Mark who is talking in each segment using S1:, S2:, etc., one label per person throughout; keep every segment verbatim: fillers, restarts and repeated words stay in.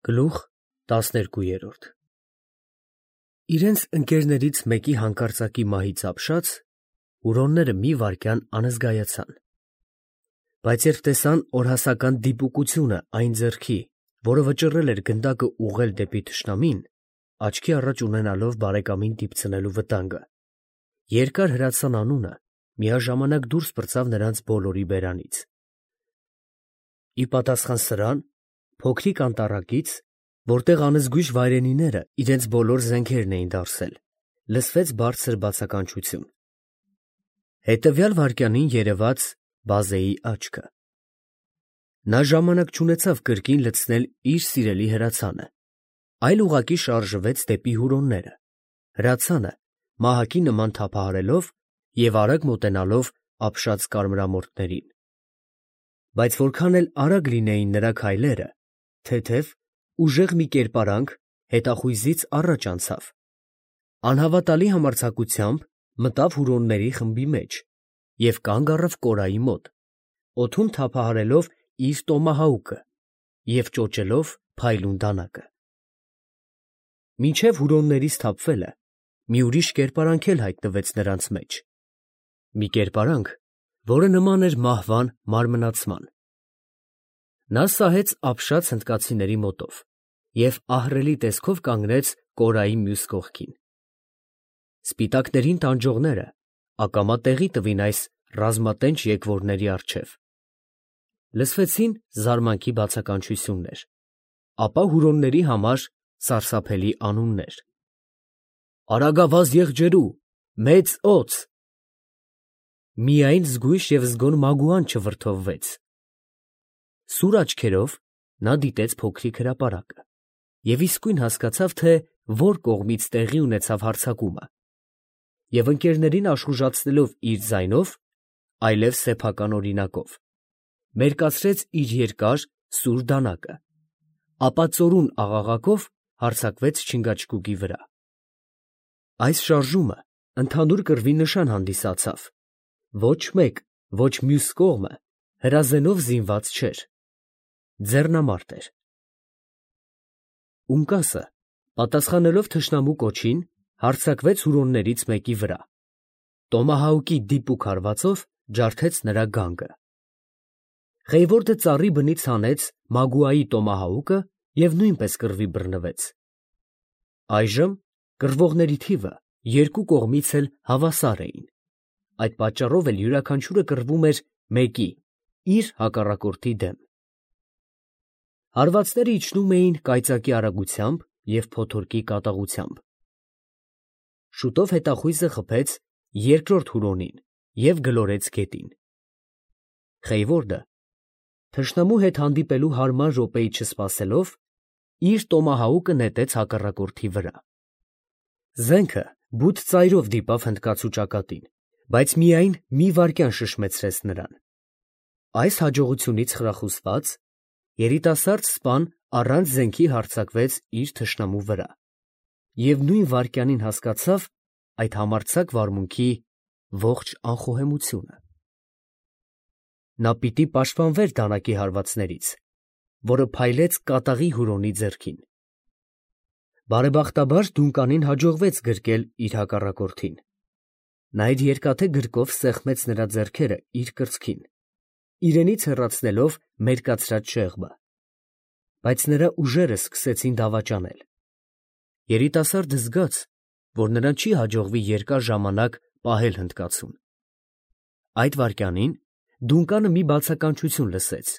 S1: Գլուխ տասներկու։ Իրենց ընկերներից մեկի հանկարծակի մահից ապշած հուրոնները մի վայրկյան անզգայացան, բայց երբ տեսան օրհասական դիպուկությունը այն ձեռքի, որը վճռել էր գնդակը ուղղել դեպի թշնամին, աչքի առաջ ունենալով բարեկամին դիպցնելու վտանգը, երկար հրացան անունը միաժամանակ դուրս պրծավ նրանց բոլորի բերանից։ Ի պատասխան սրան, փոքրիկ անտառակից, որտեղ անզգույշ վայրենիները իրենց բոլոր զենքերն էին դարսել, լսվեց բարձր բացականչություն։ Հետևյալ վայրկյանին երևաց Բազեի աչքը։ Նա ժամանակ չունեցավ կրկին լցնել իր սիրելի հրացանը, այլ ուղղակի շարժվեց դեպի հուրոնները, հրացանը մահակի նման թափահարելով և արագ մոտենալով ապշած կարմրամորթներին։ Բայց որքան էլ արագ լինեին նրա քայլերը, թեթև, ուժեղ մի կերպարանք հետախույզից առաջ անցավ, անհավատալի համարձակությամբ մտավ հուրոնների խմբի մեջ և կանգ առավ Կորայի մոտ, օդում թափահարելով իր տոմահաուկը և ճոճելով փայլուն դանակը։ Մինչև հուրոններից թափվելը մի ուրիշ կերպարանք էլ հայտնվեց նրանց մեջ, մի կերպարանք, որը նման էր մահվան մարմնացման։ Նա սահեց ապշած հնդկացիների մոտով և ահռելի տեսքով կանգնեց Կորայի մյուս կողքին։ Սպիտակներին տանջողները ակամա տեղի տվին այս ռազմատենչ եկվորների առջև։ Լսվեցին զարմանքի բացականչություններ, ապա հուրոնների համար սարսափելի անուններ. Արագավազ եղջերու, մեծ օձ… Միայն զգույշ և զգոն Մագուան չվրդովվեց։ Սուր աչքերով նա դիտեց փոքրիկ հրապարակը և իսկույն հասկացավ, թե որ կողմից տեղի ունեցավ հարձակումը, և ընկերներին աշխուժացնելով իր ձայնով, այլև սեփական օրինակով, մերկացրեց իր երկար, սուր դանակը, ապա ծորուն աղաղակով հարձակվեց չինգաչգուկի վրա։ Այս շարժումը ընդհանուր կռվի նշան հանդիսացավ. ոչ մեկ, ոչ մյուս կողմը հրազենով զինված չէր, ձեռնամարտ էր։ Ունկասը, պատասխանելով թշնամու կոչին, հարձակվեց հուրոններից մեկի վրա, տոմահաուկի դիպուկ հարվածով ջարդեց նրա գանգը։ Խեյվորդը ծառի բնից հանեց Մագուայի տոմահաուկը և նույնպես կռվի բռնվեց։ Այժմ կռվողների թիվը երկու կողմից էլ հավասար էին, այդ պատճառով էլ յուրաքանչյուրը կռվում էր մեկի՝ իր հակառակորդի դեմ։ Հարվածները իջնում էին կայծակի արագությամբ և փոթորկի կատաղությամբ։ Շուտով հետախույզը խփեց երկրորդ հուրոնին և գլորեց գետին։ Խեյվորդը, թշնամու հետ հանդիպելու հարմար րոպեի չսպասելով, իր տոմահաուկը նետեց հակառակորդի վրա։ Զենքը բութ ծայրով դիպավ հնդկացու ճակատին, բայց միայն մի վայրկյան շշմեցրեց նրան։ Այս հաջողությունից խրախուսված, երիտասարդ սպան առանց զենքի հարձակվեց իր թշնամու վրա և նույն վայրկյանին հասկացավ այդ համարձակ վարմունքի ողջ անխոհեմությունը։ Նա պիտի պաշտպանվեր դանակի հարվածներից, որը փայլեց կատաղի հուրոնի ձեռքին։ Բարեբախտաբար Դունկանին հաջողվեց գրկել իր հակառակորդին։ Նա իր երկաթե գրկով սեղմեց նրա ձեռքերը իր կրծքին, իրենից հեռացնելով մերկացրած շեղբը, բայց նրա ուժերը սկսեցին դավաճանել։ Երիտասարդը զգաց, որ նրան չի հաջողվի երկար ժամանակ պահել հնդկացուն։ Այդ վայրկյանին Դունկանը մի բացականչություն լսեց.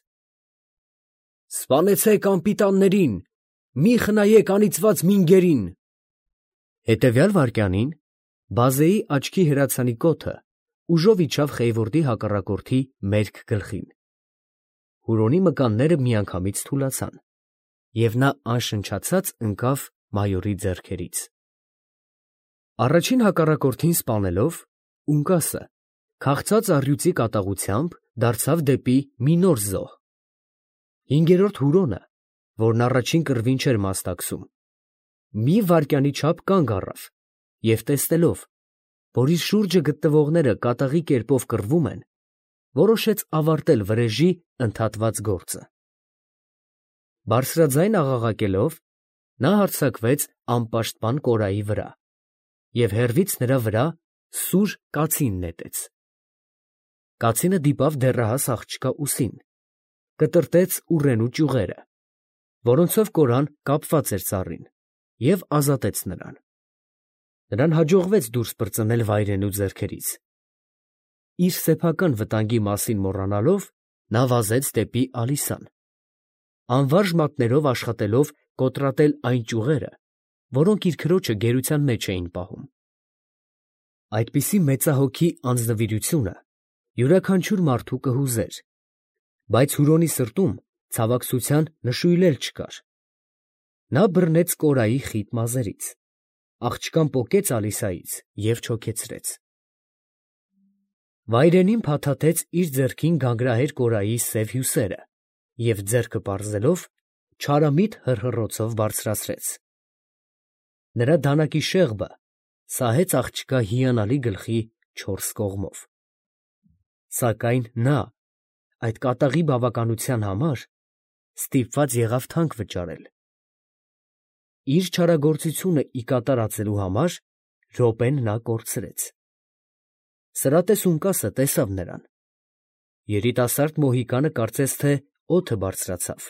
S1: «Սպանեցեք անպիտաններին, մի խնայեք անիծված մինգերին»։ Հետևյալ վայրկյանին Բազեի աչքի հրացանի կոթը ուժով իջավ Խեյվորդի հակառակորդի մերկ գլխին։ Հուրոնի մկանները միանգամից թուլացան, և նա անշնչացած ընկավ մայորի ձեռքերից։ Առաջին հակառակորդին սպանելով, Ունկասը, քաղցած առյուծի կատաղությամբ, դարձավ դեպի մի նոր զոհ։ Հինգերորդ հուրոնը, որն առաջին կռվին չէր մասնակցում, մի վայրկյանի չափ կանգ առավ և տեսնելով, որ իր շուրջը գտնվողները կատաղի կերպով կռվում են, որոշեց ավարտել վրեժի ընդհատված գործը։ Բարձրաձայն աղաղակելով, նա հարձակվեց անպաշտպան կորայի վրա և հեռվից նրա վրա սուր կացին նետեց։ Կացինը դիպավ դեռահաս աղջկա ուսին, կտրտեց ուռենու ճյուղերը, որոնցով կորան կապված էր ծառին, և ազատեց նրան։ Նրան հաջողվեց դուրս պրծնել վայրենու ձեռքերից։ Իր սեփական վտանգի մասին մոռանալով, նա վազեց դեպի Ալիսան, անվարժ մատներով աշխատելով կոտրատել այն ճյուղերը, որոնք իր քրոջը գերության մեջ էին պահում։ Այդպիսի մեծահոգի անձնվիրությունը յուրաքանչյուր մարդու կհուզեր, բայց Հուրոնի սրտում ցավակցության նշույլ էլ չկար։ Նա բռնեց կորայի խիտ մազերից, աղջկան պոկեց Ալիսայից և չոքեցրեց։ Վայրենին փաթաթեց իր ձեռքին գանգրահեր կորայի սև հյուսերը և ձեռքը պարզելով, չարամիտ հռհռոցով բարձրացրեց։ Նրա դանակի շեղբը սահեց աղջկա հիանալի գլխի չորս կողմով։ Սակայն նա, այդ կատաղի բավականության համար, ստիպված եղավ թանկ վճարել։ Իր չարագործությունը ի կատարածելու համար րոպեն նա կորցրեց։ Սրատե Սունկասը տեսավ նրան։ Երիտասարդ մոհիկանը կարծես թե օդը բարձրացավ։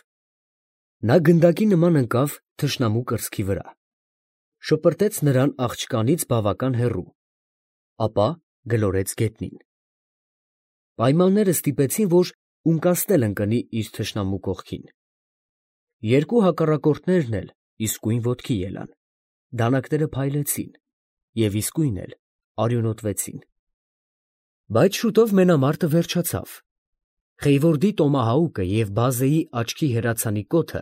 S1: Նա գնդակի նման ընկավ թշնամու կրծքի վրա, շպրտեց նրան աղջկանից բավական հեռու, ապա գլորեց գետնին։ Պայմանները ստիպեցին, որ Ունկասն էլ ընկնի իր թշնամու կողքին։ Երկու հակառակորդներն էլ իսկույն ոտքի ելան, դանակները փայլեցին և իսկույն էլ արյունոտվեցին։ Բայց շուտով մենամարտը վերջացավ։ Խեյվորդի տոմահաուկը և բազեի աչքի հեռացանի կոթը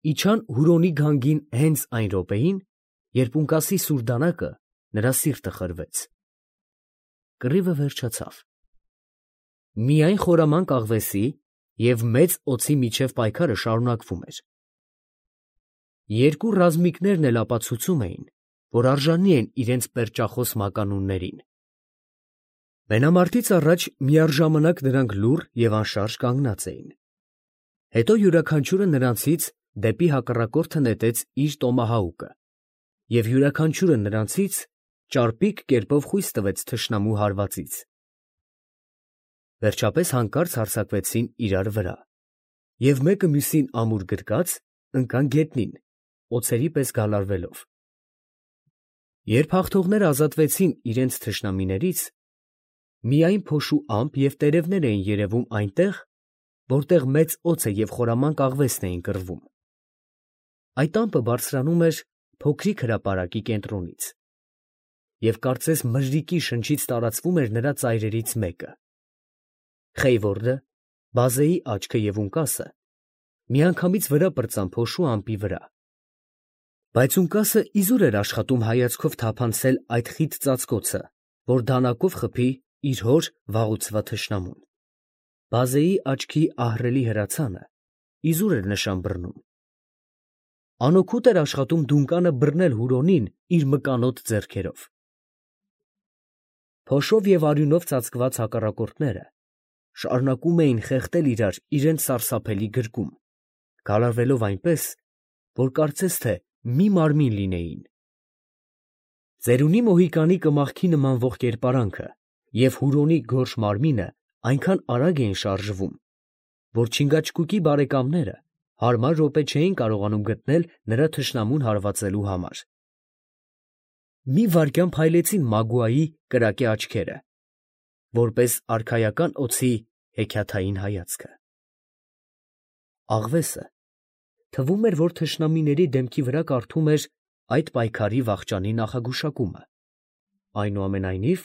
S1: իջան Հուրոնի գանգին հենց այն րոպեին, երբ Ունկասի սուր դանակը նրա սիրտը խրվեց։ Կռիվը վերջացավ։ Միայն խորամանկ աղվեսի և մեծ օձի միջև պայքարը շարունակվում էր։ Երկու ռազմիկներն էլ ապացուցում էին, որ արժանի են իրենց պերճախոս մականուններին։ Մենամարտից առաջ միառժամանակ նրանք լուռ և անշարժ կանգնած էին։ Հետո յուրաքանչյուրը նրանցից դեպի հակառակորդը նետեց իր տոմահաուկը, և յուրաքանչյուրը նրանցից ճարպիկ կերպով խույս տվեց թշնամու հարվածից։ Վերջապես հանկարծ հարձակվեցին իրար վրա և մեկը մյուսին ամուր գրկած ընկան գետնին, օձերի պես գալարվելով։ Երբ հաղթողները ազատվեցին իրենց թշնամիներից, միայն փոշու ամպ և տերևներ էին երևում այնտեղ, որտեղ մեծ օձը և խորամանկ աղվեսն էին կռվում։ Այդ ամպը բարձրանում էր փոքրիկ հրապարակի կենտրոնից, և կարծես մրրիկի շնչից տարածվում էր նրա ծայրերից մեկը։ Խեյվորդը, բազեի աչքը և Ունկասը միանգամից վրա պրծան փոշու ամպի վրա։ Բայց Ունկասը իզուր էր աշխատում հայացքով թափանցել այդ խիտ ծածկոցը, որ դանակով խփի իր հոր վաղուցված թշնամուն։ Բազեի աչքի ահռելի հրացանը իզուր էր նշան բռնում։ Անօգուտ էր աշխատում դունկանը բռնել Հուրոնին իր մկանոտ ձեռքերով։ Փոշով և արյունով ծածկված հակառակորդները շարունակում էին խեղդել իրար իրենց սարսափելի գրկում, գալարվելով այնպես, որ կարծես թե մի մարմին լինեին։ Ծերունի Մոհիկանի կմախքի նմանվող կերպարանքը և Հուրոնի գորշ մարմինը այնքան արագ էին շարժվում, որ Չինգաչգուկի բարեկամները հարմար րոպե չէին կարողանում գտնել նրա թշնամուն հարվածելու համար։ Մի վայրկյան փայլեցին Մագուայի կրակե աչքերը, որպես արքայական օձի հեքիաթային հայացքը։ Աղվեսը թվում էր, որ թշնամիների դեմքի վրա կարդում էր այդ պայքարի վախճանի նախագուշակումը։ Այնուամենայնիվ,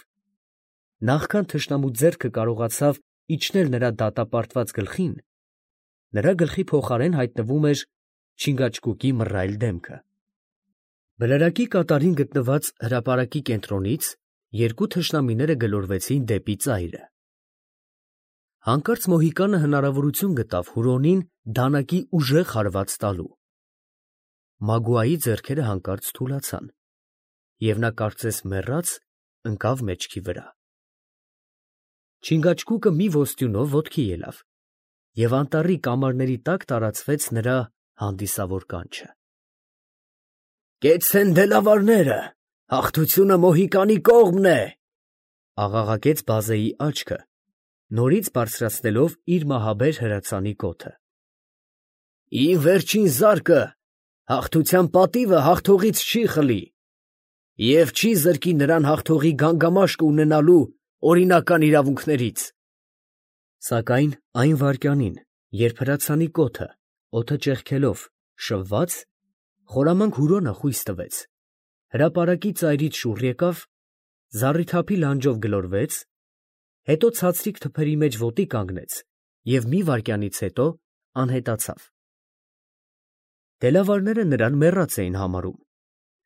S1: նախքան թշնամու ձեռքը կարողացավ իջնել նրա դատապարտված գլխին, նրա գլխի փոխարեն հայտնվում էր Չինգաչգուկի մռայլ դեմքը։ Բլրակի կատարին գտնված հրապարակի կենտրոնից երկու թշնամիները գլորվեցին դեպի ծայրը։ Հանկարծ Մոհիկանը հնարավորություն գտավ Հուրոնին դանակի ուժեղ հարված տալու։ Մագուայի ձեռքերը հանկարծ թուլացան, և նա կարծես մեռած ընկավ մեջքի վրա։ Չինգաչգուկը մի ոստյունով ոտքի ելավ, և անտառի կամարների տակ տարածվեց նրա հանդիսավոր կանչը։ «Կեցցեն դելավարները, հաղթությունը Մոհիկանի կողմն է», աղաղակեց բազեի աչքը, նորից բարձրացնելով իր մահաբեր հրացանի կոթը։ «Ի վերջին զարկը հաղթության պատիվը հաղթողից չի խլի և չի զրկի նրան հաղթողի գանգամաշկը ունենալու օրինական իրավունքներից»։ Սակայն այն վայրկյանին, երբ հրացանի կոթը, օդը ճեղքելով, շվվաց, խորամանկ հուրոնը խույս տվեց, հրապարակի ծայրից շուռ եկավ, զառիթափի լանջով գլորվեց, հետո ցածրիկ թփերի մեջ ոտի կանգնեց և մի վայրկյանից հետո անհետացավ։ Դելավարները նրան մեռած էին համարում,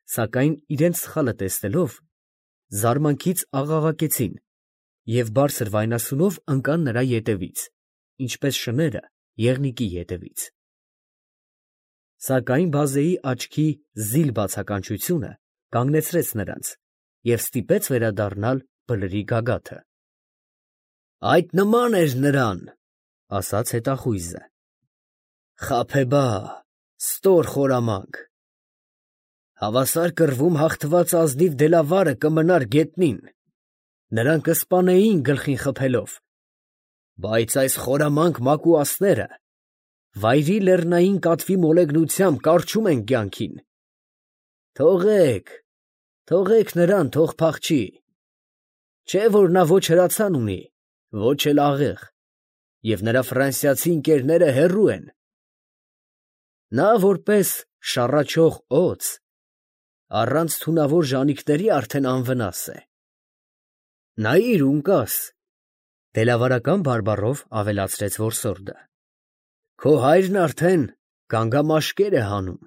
S1: սակայն իրենց սխալը տեսնելով, զարմանքից աղաղակեցին և բարձր վայնասունով ընկան նրա ետևից, ինչպես շները եղնիկի ետևից։ Սակայն բազեի աչքի զիլ բացականչությունը կանգնեցրեց նրանց և ստիպեց վերադառնալ բլրի գագաթը։ «Այդ նման էր նրան, ֊ ասաց հետախույզը, ֊ խաբեբա, ստոր խորամանկ, հավասար կռվում հաղթված ազնիվ դելավարը կմնար գետնին, նրան կսպանեին գլխին խփելով, բայց այս խորամանկ մակուասները վայրի լեռնային կատվի մոլեգնությամբ կառչում են կյանքին։ Թողեք, թողեք նրան, թող փախչի, չէ՞ որ նա ոչ հրացան ունի, ոչ էլ աղեղ, և նրա ֆրանսիացի ընկերները հեռու են։ Նա որպես շառաչող օձ, առանց թունավոր ժանիքների արդեն անվնաս է։ Նայիր, ունկաս, ֊ դելավարական բարբառով ավելացրեց որսորդը, ֊ քո հայրն արդեն գանգամաշկեր է հանում։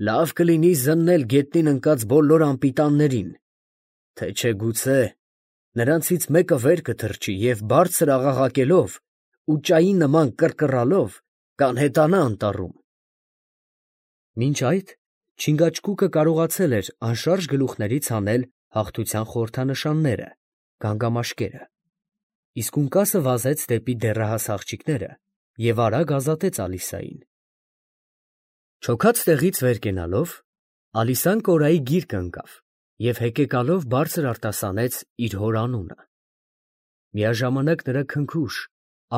S1: Լավ կլինի զննել գետնին ընկած բոլոր անպիտաններին, թե չէ գուցե նրանցից մեկը վեր կթռչի և բարձր աղաղակելով ու ճայի նման կռկռալով կանհետանա անտառում։ Մինչ այդ չինգաչգուկը կարողացել էր անշարժ գլուխներից հանել հաղթության խորհրդանշանները, գանգամաշկերը, իսկ ունկասը վազեց դեպի դեռահաս աղջիկները և արագ ազատեց Ալիսային։ Չոքած տեղից վեր կենալով, Ալիսան կորայի գիրկը ընկավ և հեկեկալով բարձր արտասանեց իր հոր անունը։ Միաժամանակ նրա քնքուշ,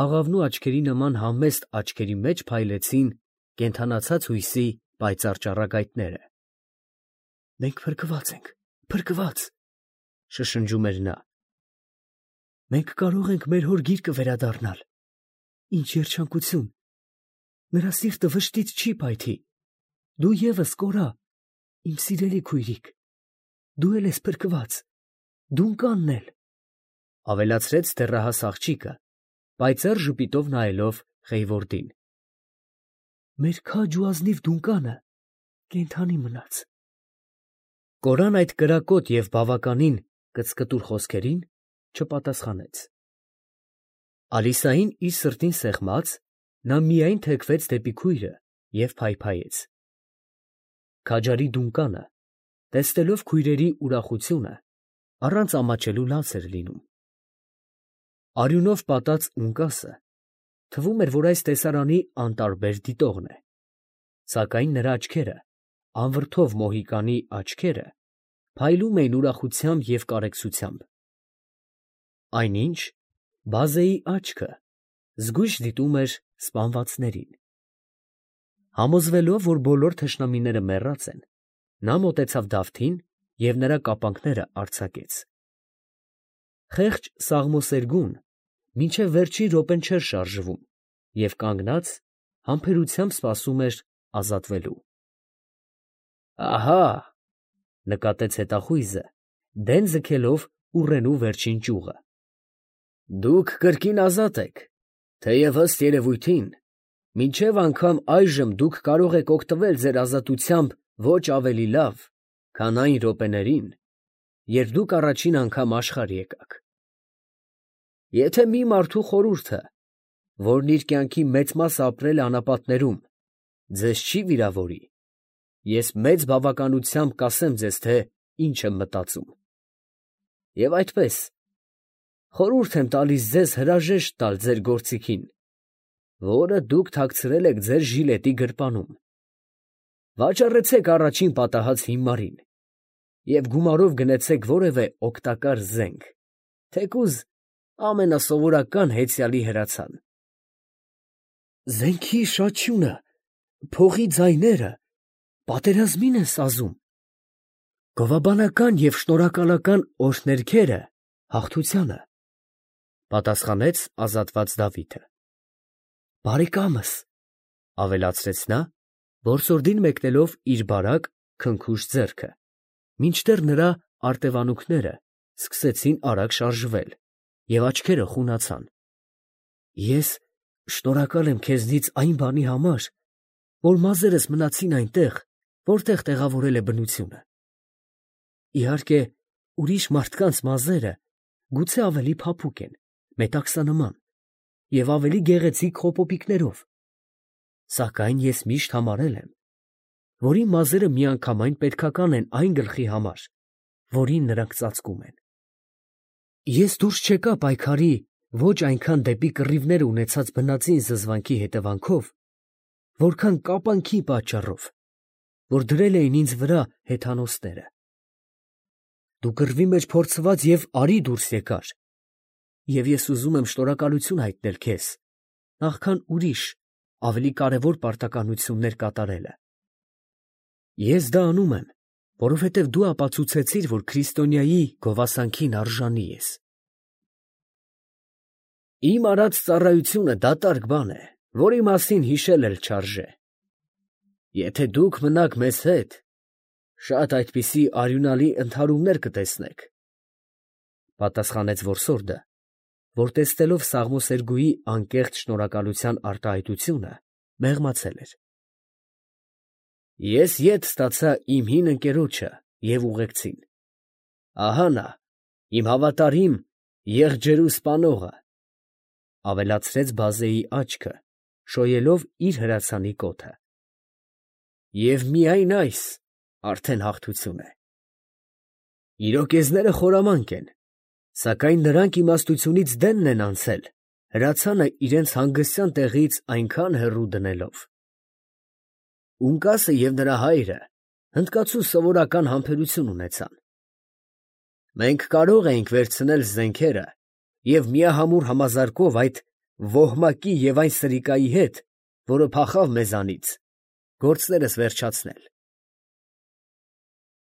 S1: աղավնու աչքերի նման համեստ աչքերի մեջ փայլեցին կենդանացած հույսի պայծառ ճառագայթները։ «Մենք փրկված ենք, փրկված, ֊ շշնջում էր նա, ֊ մենք կարող ենք մեր հոր գիրկը վերադառնալ։ Ինչ երջանկություն, նրա սիրտը վշտից չի փայթի։ Դու ևս, Կորա, իմ սիրելի քույրիկ, դու էլ ես փրկված, Դունկանն էլ, ֊ ավելացրեց դեռահաս աղջիկը, պայծառ ժպիտով նայելով Խեյվորդին։ Մեր քաջ ու ազնիվ Դունկանը կենդանի մնաց։ Կորան այդ կրակոտ և բավականին կծկտուր խոսքերին չպատասխանեց։ Ալիսային իր սրտին սեղմած, նա միայն թեքվեց դեպի քույրը և փայփայեց։ Քաջարի Դունկանը, տեսնելով քույրերի ուրախությունը, առանց ամաչելու լաց էր լինում։ Արյունով պատած ունկասը թվում էր, որ այս տեսարանի անտարբեր դիտողն է, սակայն նրա աչքերը, անվրդով Մոհիկանի աչքերը, փայլում էին ուրախությամբ և կարեկցությամբ։ Այնինչ բազեի աչքը զգույշ դիտում էր սպանվածներին։ Համոզվելով, որ բոլոր թշնամիները մեռած են, նա մոտեցավ Դավթին և նրա կապանքները արձակեց։ Խեղճ սաղմոսերգուն մինչև վերջին րոպեն չէր շարժվում և կանգնած համբերությամբ սպասում էր ազատվելու։ Ահա, ֊ նկատեց հետախույզը, դեն ձգելով ուռենու վերջին ճյուղը, ֊ դուք կրկին ազատ եք, թեև ըստ երևույթին մինչև անգամ այժմ դուք կարող եք օգտվել ձեր ազատությամբ ոչ ավելի լավ, քան այն րոպեներին, երբ դուք առաջին անգամ աշխարհ եկաք։ Եթե մի մարդու խորհուրդը, որն իր կյանքի մեծ մասը ապրել է անապատներում, ձեզ չի վիրավորի, ես մեծ բավականությամբ կասեմ ձեզ, թե ինչ եմ մտածում։ Եվ այդպես, խորհուրդ եմ տալիս ձեզ հրաժեշտ տալ ձեր գործիքին, որը դուք թաքցրել եք ձեր ժիլետի գրպանում։ Վաճառեցեք առաջին պատահած հիմարին և գումարով գնեցեք որևէ օգտակար զենք, թեկուզ ամենասովորական հեծյալի հրացան։ Զենքի շաչյունը, փողի ձայները պատերազմին են սազում, գովաբանական և շնորհակալական օրհներգերը հաղթությանը, պատասխանեց ազատված Դավիթը։ Բարեկամս, ավելացրեց նա, որսորդին մեկնելով իր բարակ, քնքուշ ձեռքը, մինչդեռ նրա արտևանունքները սկսեցին արագ շարժվել և աչքերը խունացան։ Ես շնորհակալ եմ քեզնից այն բանի համար, որ մազերս մնացին այնտեղ, որտեղ տեղավորել է բնությունը։ Իհարկե, ուրիշ մարդկանց մազերը գուցե ավելի փափուկ են, մետաքսանման և ավելի գեղեցիկ խոպոպիկներով, սակայն ես միշտ համարել եմ, որ իմ մազերը միանգամայն պետքական են այն գլխի համար, որին նրանք ծածկում են։ Ես դուրս չեկա պայքարի ոչ այնքան դեպի կռիվներ ունեցած բնածին զզվանքի հետևանքով, որքան կապանքի պատճառով, որ դրել էին ինձ վրա հեթանոսները։ Դու կռվի մեջ փորձված և արի դուրս եկար, և ես ուզում եմ շնորհակալություն հայտնել քեզ, նախքան ուրիշ ավելի կարևոր պարտականություններ կատարելը։ Ես դա անում եմ, որովհետև դու ապացուցեցիր, որ քրիստոնյայի գովասանքին արժանի ես։ Իմ արած ծառայությունը դատարկ բան է, որի մասին հիշել էլ չարժե։ Եթե դուք մնաք մեզ հետ, շատ այդպիսի արյունալի ընդհարումներ կտեսնեք, ֊ պատասխանեց որսորդը, որ տեսնելով սաղմոսերգուի անկեղծ շնորհակալության արտահայտությունը, մեղմացել էր։ Ես ետ ստացա իմ հին ընկերոջը և ուղեկցին. ահա նա, իմ հավատարիմ եղջերու սպանողը, ֊ ավելացրեց բազեի աչքը, շոյելով իր հրացանի կոթը։ Եվ միայն այս արդեն հաղթություն է։ Իրոկեզները խորամանկ են, սակայն նրանք իմաստությունից դենն են անցել, հրացանը իրենց հանգստյան տեղից այնքան հեռու դնելով։ Ունկասը և նրա հայրը հնդկացու սովորական համբերություն ունեցան։ Մենք կարող էինք վերցնել զենքերը և միահամուռ համազարկով այդ ոհմակի և այն սրիկայի հետ, որը փախավ մեզանից, գործներս վերջացնել։